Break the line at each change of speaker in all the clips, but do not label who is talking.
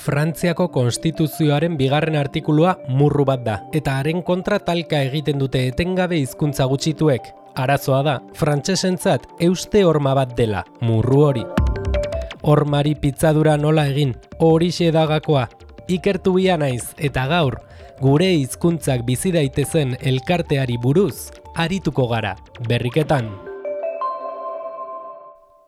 Frantziako konstituzioaren bigarren artikulua murru bat da, eta haren kontra talka egiten dute etengabe hizkuntza gutxituek. Arazoa da, frantsesentzat euste horma bat dela, murru hori. Hormari pitzadura nola egin, horixe da gakoa. Ikertu bia naiz, eta gaur, gure hizkuntzak bizi daitezen elkarteari buruz, arituko gara, berriketan.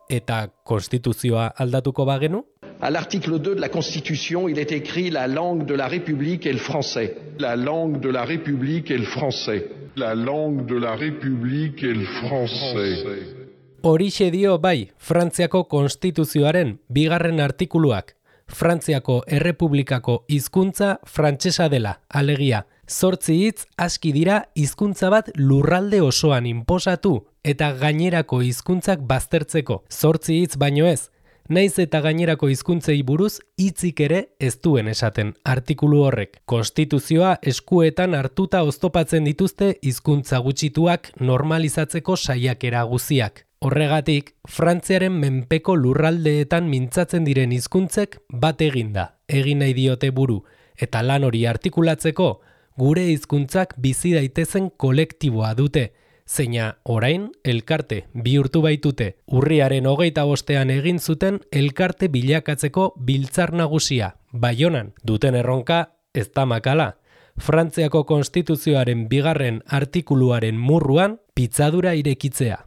Eta konstituzioa aldatuko bagenu?
À l'article 2 de la Constitution, il est écrit la langue de la République est le français. La langue de la République est le français. La langue de la République est le français.
Horixe dio bai, Frantziako konstituzioaren bigarren artikuluak. Frantziako Errepublikako hizkuntza frantsesa dela, alegia. 8 hitz aski dira hizkuntza bat lurralde osoan inposatu eta gainerako hizkuntzak baztertzeko. 8 hitz baino ez. Naiz eta gainerako hizkuntzei buruz hitzik ere ez duen esaten artikulu horrek. Konstituzioa eskuetan hartuta oztopatzen dituzte hizkuntza gutxituak normalizatzeko saiakera guziak. Horregatik, Frantziaren menpeko lurraldeetan mintzatzen diren hizkuntzek bat eginda, egin nahi diote buru, eta lan hori artikulatzeko gure hizkuntzak bizi daitezen kolektiboa dute, zeina orain elkarte bihurtu baitute. Urriaren 25ean egin zuten elkarte bilakatzeko biltzar nagusia, Baionan. Duten erronka ez da makala. Frantziako konstituzioaren bigarren artikuluaren murruan pitzadura irekitzea.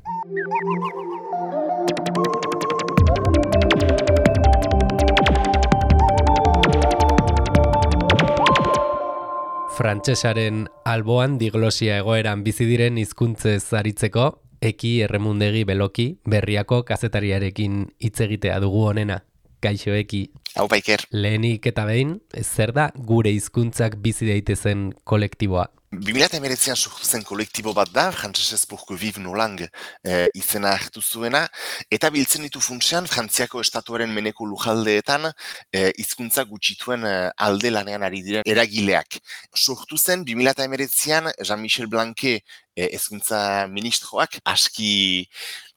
Frantsesaren alboan diglosia egoeran bizi diren hizkuntzez aritzeko, Eki Erremundegi Beloki Berriako kazetariarekin hitz egitea dugu honena. Kaixo Eki.
Hau Iker.
Lehenik eta behin, zer da gure hizkuntzak bizi daitezen kolektiboa?
2019an sortu zen kolektibo bat da, Frantsesez pour que vive nos langues izena hartu zuena, eta biltzen ditu funtsean Frantziako estatuaren meneko lujaldeetan hizkuntza gutxituen alde lanean ari diren eragileak. Sortu zen 2019an Jean-Michel Blanquet hezkuntza ministroak, aski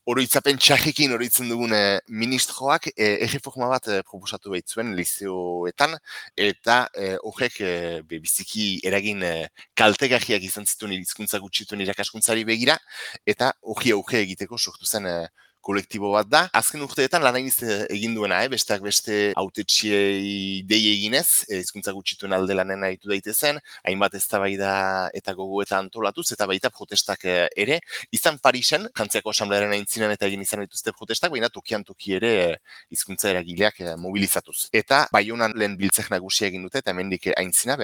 oroitzapen txarrekin oroitzen dugun ministroak erreforma bat proposatu baitzuen lizeoetan, eta horrek biziki eragin kaltegarriak izan zituen hizkuntza gutxituen irakaskuntzari begira, eta hori egiteko sortu zen kolektibo bat da. Azken urteetan lan hainiz egin duena, besteak beste hautetsiei dei eginez, hizkuntza gutxituen alde lanen aritu daitezen, hainbat eztabaida eta gogoeta antolatuz, eta baita protestak ere. Izan Parisen, Frantziako Asamblearen aintzinan eta egin izan dituzte protestak, baina tokian toki ere hizkuntza eragileak mobilizatuz. Eta Baionan lehen biltzek nagusia egin dute, eta hemendik aintzina,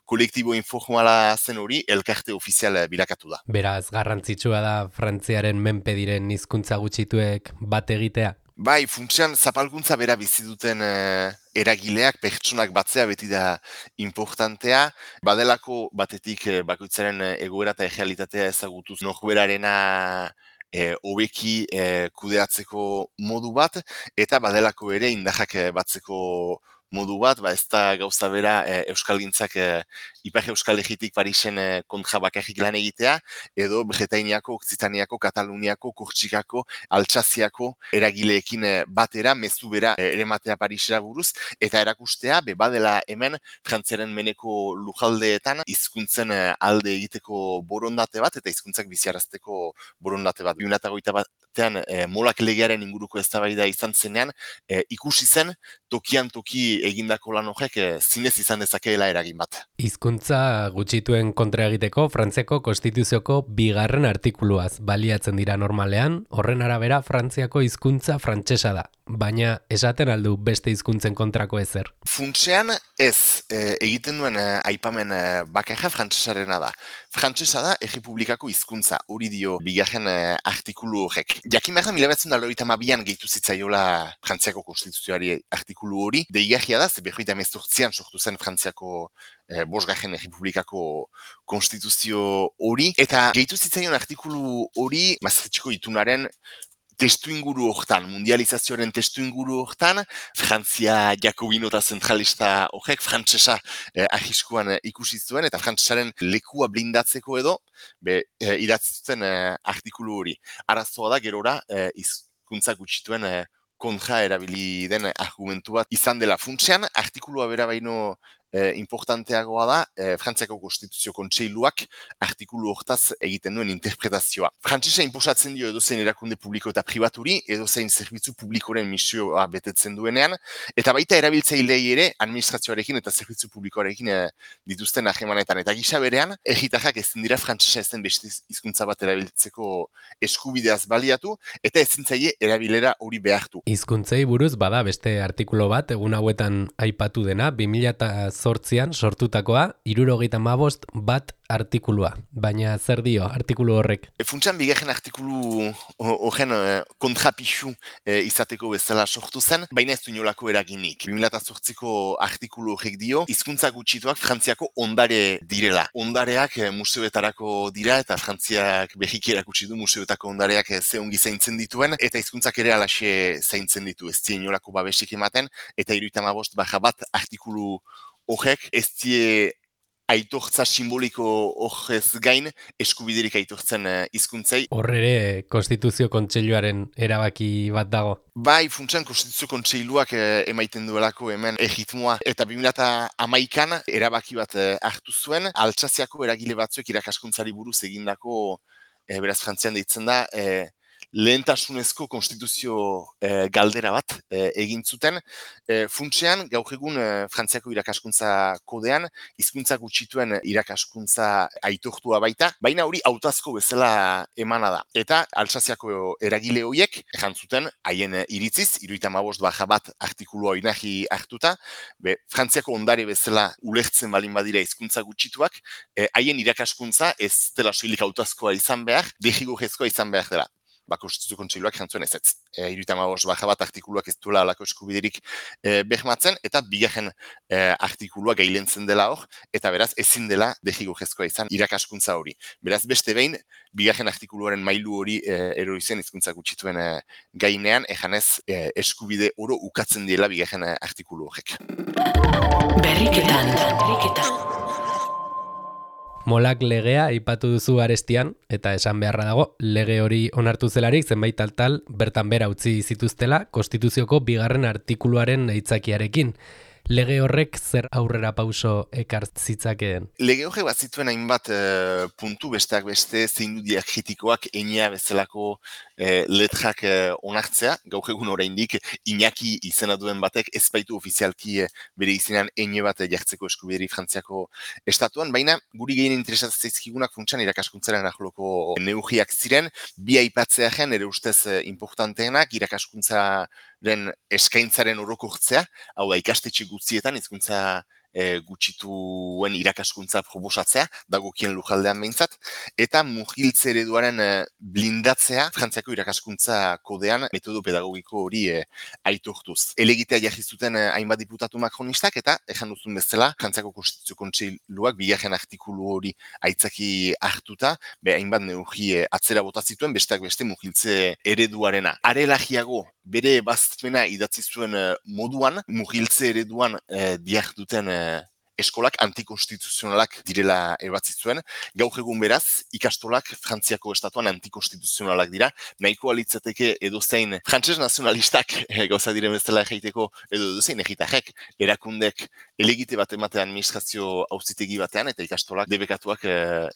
kolektibo informala zen hori elkarte ofizial bilakatu da.
Beraz, garrantzitsua da Frantziaren menpe diren hizkuntza gutxituek bat egitea?
Bai, funtsean zapalkuntza bera bizi duten eragileak, pertsonak batzea beti da importantea. Badelako batetik bakoitzaren egoera eta errealitatea ezagutuz norberarena hobeki kudeatzeko modu bat, eta badelako ere indarrak batzeko modu bat, ez da gauza bera Euskalgintzak Ipar Euskal Herritik Parisen kontra bakarrik lan egitea, edo Bretainiako, Okzitaniako, Kataluniako, Kortsikako, Altsaziako eragileekin batera, mezu bera erematea Parisera buruz, eta erakustea, badela hemen Frantziaren meneko lujaldeetan hizkuntzen alde egiteko borondate bat, eta hizkuntzak biziarazteko borondate bat. 2021 batean molak legearen inguruko eztabaida izan zenean, ikusi zen tokian toki egindako lan horrek zinez izan dezakeela eragin bat.
Hizkuntza gutxituen kontra egiteko Frantziako konstituzioko bigarren artikuluaz baliatzen dira normalean, horren arabera Frantziako hizkuntza frantsesa da, baina esaten aldu beste hizkuntzen kontrako ezer.
Funtsean ez, egiten duen aipamen bakarra frantsesarena da. Frantsesa da Errepublikako hizkuntza, hori dio bigarren artikulu horrek. Jakin behar da 1992an gehitu zitzaiola Frantziako konstituzioari artikulu hori, deigarria da, 1918an sortu zen Frantziako bosgarren Errepublikako konstituzio hori, eta gehitu zitzaion artikulu hori Maastrichteko itunaren testu inguru hortan, mundializazioaren testu inguru hortan, Frantzia jakobino eta zentralista horrek frantsesa arriskuan ikusi zuen, eta frantsesaren lekua blindatzeko edo, idatzi zuten artikulu hori. Arazoa da gerora hizkuntza gutxituen kontra erabili den argumentu bat izan dela. Funtsean, artikulua bera baino importanteagoa da, Frantziako Konstituzio Kontseiluak artikulu hortaz egiten duen interpretazioa. Frantsesa inposatzen dio edozein erakunde publiko eta pribaturi, edozein zerbitzu publikoren misioa betetzen duenean, eta baita erabiltzailei ere administrazioarekin eta zerbitzu publikoarekin dituzten harremanetan. Eta gisa berean, herritarrak ezin dira frantsesa ez den beste hizkuntza bat erabiltzeko eskubideaz baliatu, eta ezin zaie erabilera hori behartu.
Hizkuntzei buruz bada beste artikulu bat egun hauetan aipatu dena, 2008an sortutakoa, 75 bat artikulua. Baina zer dio artikulu horrek?
Funtsan bigarren artikulu horren kontrapixu izateko bezala sortu zen, baina ez du inolako eraginik. 2008ko artikulu horrek dio, hizkuntza gutxituak Frantziako ondare direla. Ondareak museoetarako dira eta Frantziak berriki erakutsi du museoetako ondareak ze ongi zaintzen dituen, eta hizkuntzak ere alaxe zaintzen ditu. Ez die inolako babesik ematen, eta 75 bat artikulu horrek ez die aitortza simboliko horrez gain eskubiderik aitortzen hizkuntzei.
Horre Konstituzio Kontseiluaren erabaki bat dago.
Bai, funtsan Konstituzio Kontseiluak emaiten duelako hemen erritmoa. Eta 2011an erabaki bat hartu zuen, Altsaziako eragile batzuek irakaskuntzari buruz egindako, beraz Frantzian deitzen da, lehentasunezko konstituzio galdera bat egin zuten. Funtsean, gaur egun Frantziako irakaskuntza kodean, hizkuntza gutxituen irakaskuntza aitortua baita, baina hori hautazko bezala emana da. Eta Altsaziako eragile horiek, zuten haien iritziz, 75 bat artikulua oinarri hartuta, Frantziako ondare bezala ulertzen balin badira hizkuntza gutxituak, haien irakaskuntza ez dela soilik hautazkoa izan behar, derrigorrezkoa izan behar dela. Konstituzio Kontseiluak jantzuen ezetz. 75 bat artikuluak ez duela alako eskubiderik bermatzen, eta bigarren artikulua gailentzen dela hor, eta beraz ezin dela derrigorrezkoa izan irakaskuntza hori. Beraz beste behin, bigarren artikuluaren mailu hori erori zen hizkuntza gutxituen gainean, ejanez eskubide oro ukatzen diela bigarren artikulu horrek.
Berriketan.
Molak legea aipatu duzu arestian, eta esan beharra dago, lege hori onartu zelarik zenbait tal bertan bera utzi zituztela Konstituzioko bigarren artikuluaren aitzakiarekin. Lege horrek zer aurrera pauso ekar zitzakeen?
Lege horrek bat zituen hainbat puntu besteak beste zein du diakritikoak Enea bezalako letrak onartzea. Gaur egun oraindik Iñaki izena duen batek ez baitu ofizialki bere izenean Ene bat jartzeko eskubideri Frantziako estatuan, baina guri gehien interesatzen zaizkigunak funtsan irakaskuntzaren arloko neurriak ziren, bi aipatzearen ere ustez importanteenak irakaskuntzaren eskaintzaren orokortzea, hau da ikastetxe guztietan hizkuntza gutxituen irakaskuntza proposatzea, dagokien lujaldean behintzat, eta mugiltze ereduaren blindatzea Frantziako irakaskuntza kodean metodo pedagogiko hori aitortuz. Elegitea jarri zuten hainbat diputatu makronistak, eta ejan duzun bezala, Frantziako Konstituzio Kontseiluak bigarren artikulu hori aitzaki hartuta, hainbat neurri atzera bota zituen, besteak beste mugiltze ereduarena. Arelagiago, bere ebazpena idatzi zuen moduan, mugiltze ereduan diharduten eskolak antikonstituzionalak direla ebatzi zuen. Gaur egun beraz, ikastolak Frantziako estatuan antikonstituzionalak dira. Nahikoa litzateke edozein frantses nazionalistak gauza diren bezala egiteko, edo edozein egitarrek erakundek elegite bat ematea administrazio auzitegi batean, eta ikastolak debekatuak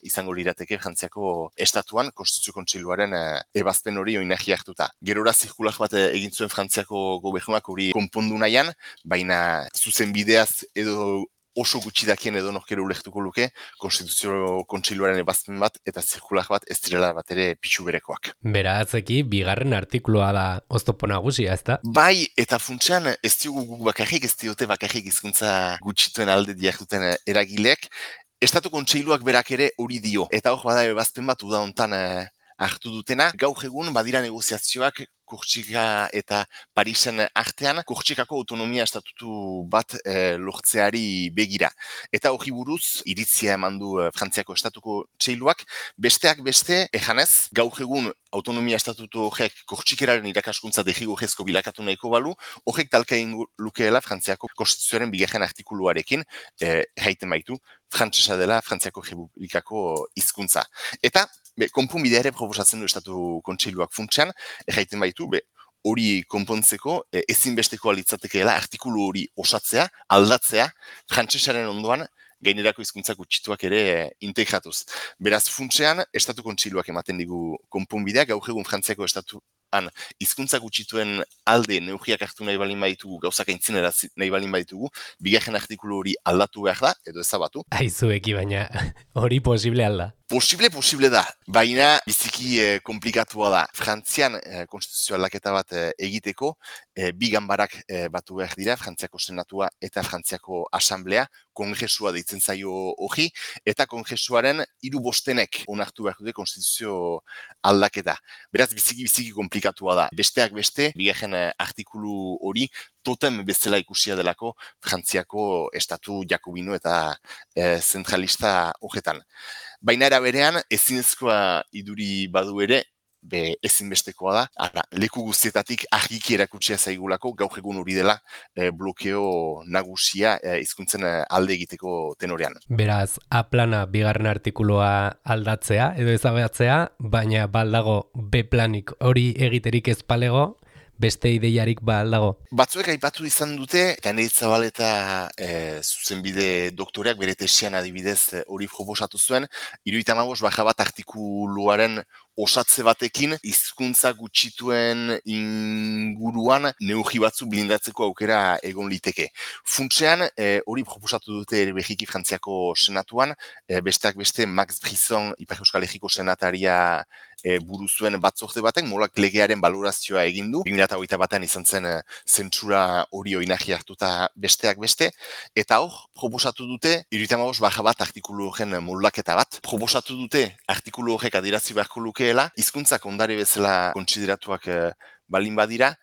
izango lirateke Frantziako estatuan Konstituzio Kontseiluaren ebazpen hori oinarri hartuta. Gerora zirkulak bat egin zuen Frantziako gobernuak hori konpondu nahian, baina zuzen bideaz edo oso gutxi dakien edo norkero ulektuko luke, Konstituzio Kontseiluaren ebazpen bat eta zirkular bat ez direla bat ere pitxu berekoak.
Beratzeki, bigarren artikulua da oztopo nagusia, ezta?
Bai, eta funtsean ez diogu guk bakarrik, ez diote bakarrik hizkuntza gutxituen alde diarduten eragileek, Estatu Kontseiluak berak ere hori dio. Eta hor bada ebazpen bat uda hontan hartu dutena, gaur egun badira negoziazioak Kortsika eta Parisen artean, Kortsikako autonomia estatutu bat lortzeari begira. Eta hori buruz, iritzia eman du Frantziako Estatuko Kontseiluak, besteak beste, ejanez, gaur egun autonomia estatutu horrek Kortsikeraren irakaskuntza derrigorrezko bilakatu nahiko balu, horrek talka egin lukeela Frantziako Konstituzioaren bigarren artikuluarekin, jaiten baitu, frantsesa dela Frantziako Errepublikako hizkuntza. Eta konponbidea ere proposatzen du Estatu Kontseiluak funtsean, erraiten baitu, hori konpontzeko ezinbesteko litzatekeela artikulu hori osatzea, aldatzea, frantsesaren ondoan gainerako hizkuntza gutxituak ere integratuz. Beraz, funtsean, Estatu Kontseiluak ematen digu konponbidea, gaur egun Frantziako estatuan hizkuntza gutxituen alde neurriak hartu nahi balin baditugu, gauzak aintzinera nahi balin baditugu, bigarren artikulu hori aldatu behar da, edo ezabatu.
Aizueki, baina hori posible alda.
Posible da, baina biziki komplikatua da. Frantzian konstituzio aldaketa bat egiteko, bi ganbarak batu behar dira, Frantziako Senatua eta Frantziako Asanblea, kongresua deitzen zaio hori, eta kongresuaren 3/5 onartu behar dute konstituzio aldaketa. Beraz, biziki komplikatua da. Besteak beste, bigarren artikulu hori, totem bezala ikusia delako Frantziako estatu jakobino eta zentralista horretan. Baina era berean, ezinezkoa iduri badu ere, ezinbestekoa da, leku guztietatik argiki erakutsia zaigulako, gaur egun hori dela blokeo nagusia hizkuntzen alde egiteko tenorean.
Beraz, A plana bigarren artikulua aldatzea edo ezabatzea, baina baldago B planik hori egiterik ez palego, beste ideiarik aldago.
Batzuek aipatu izan dute, eta Neritz Zabaleta zuzenbide doktoreak bere tesian adibidez hori proposatu zuen, 75 artikuluaren osatze batekin hizkuntza gutxituen inguruan neurri batzu blindatzeko aukera egon liteke. Funtsean, hori proposatu dute ere Belgiki Frantziako Senatuan, besteak beste Max Brisson, Ipar Euskal Herriko senataria buru zuen batzorde batek, molak legearen balorazioa egin du. 2021 izan zen zentsura hori oinarri hartuta besteak beste, eta hor, proposatu dute 75 artikulu horren moldaketa bat. Proposatu dute artikulu horrek adierazi beharko lukeela, hizkuntzak ondare bezala kontsideratuak balin badira,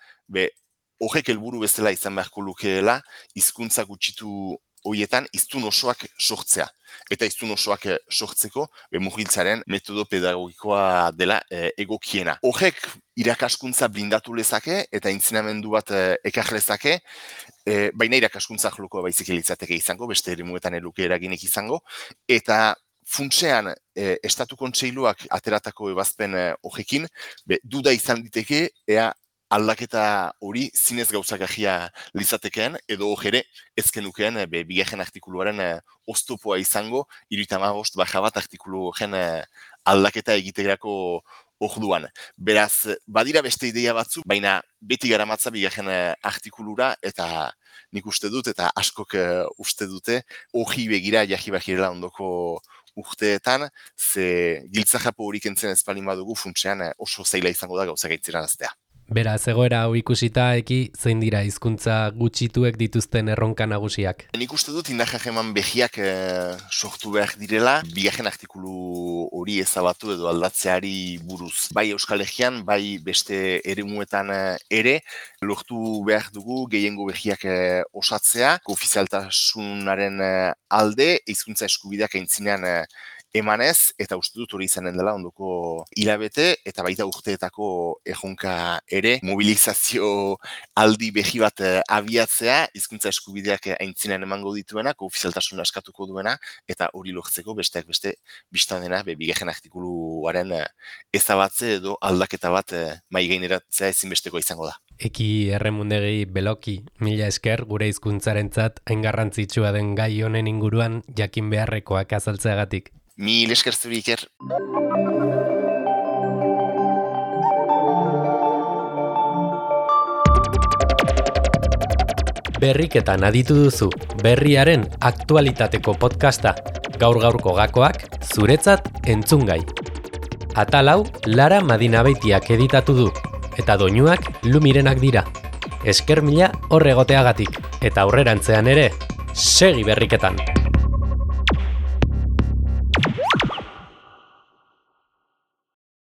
horrek helburu bezala izan beharko lukeela, hizkuntza gutxitu horietan hiztun osoak sortzea. Eta hiztun osoak sortzeko mugiltzaren metodo pedagogikoa dela egokiena. Horrek irakaskuntza blindatu lezake eta aintzinamendu bat ekar lezake, baina irakaskuntza jolokoa baizik litzateke izango, beste eremuetan eluke eraginik izango, eta funtsean Estatu Kontseiluak ateratako ebazpen horrekin, duda izan diteke, ea aldaketa hori zinez gauzakajia lizatekeen, edo ere ezkenukeen bigarren artikuluaren oztopoa izango, 75 artikulu horren aldaketa egiterako orduan. Beraz, badira beste ideia batzu, baina beti garamatza bigarren artikulura, eta nik uste dut, eta askok uste dute, hori begira jarri bakirela ondoko urteetan, ze giltzajapo hori kentzen ez balin badugu funtsean oso zaila izango da gauzak aintziranaztea.
Beraz, egoera hau ikusita zein dira hizkuntza gutxituek dituzten erronka nagusiak?
Nik uste dut indarrak eman behiak sortu behar direla, bigarren artikulu hori ezabatu edo aldatzeari buruz. Bai Euskal Herrian, bai beste eremuetan ere, lortu behar dugu gehiengo behiak osatzea, ofizialtasunaren alde, hizkuntza eskubideak aintzinean emanez, eta uste dut hori izanen dela ondoko hilabete, eta baita urteetako erronka ere, mobilizazio aldi behi bat abiatzea, hizkuntza eskubideak aintzinean emango dituena, ofizialtasuna eskatuko duena, eta hori lortzeko besteak beste biztan dena, bigarren artikuluaren ezabatze edo aldaketa bat mai gaineratzea ezinbesteko izango da.
Eki Erremundegi Beloki, mila esker gure hizkuntzarentzat hain garrantzitsua den gai honen inguruan jakin beharrekoak azaltzeagatik.
Mil esker zuri, Iker.
Berriketan aditu duzu, berriaren aktualitateko podcasta, gaur-gaurko gakoak zuretzat entzungai. Atal hau Lara Madinabeitiak editatu du, eta doinuak Lumirenak dira. Esker mila hor egoteagatik, eta aurrerantzean ere, segi berriketan!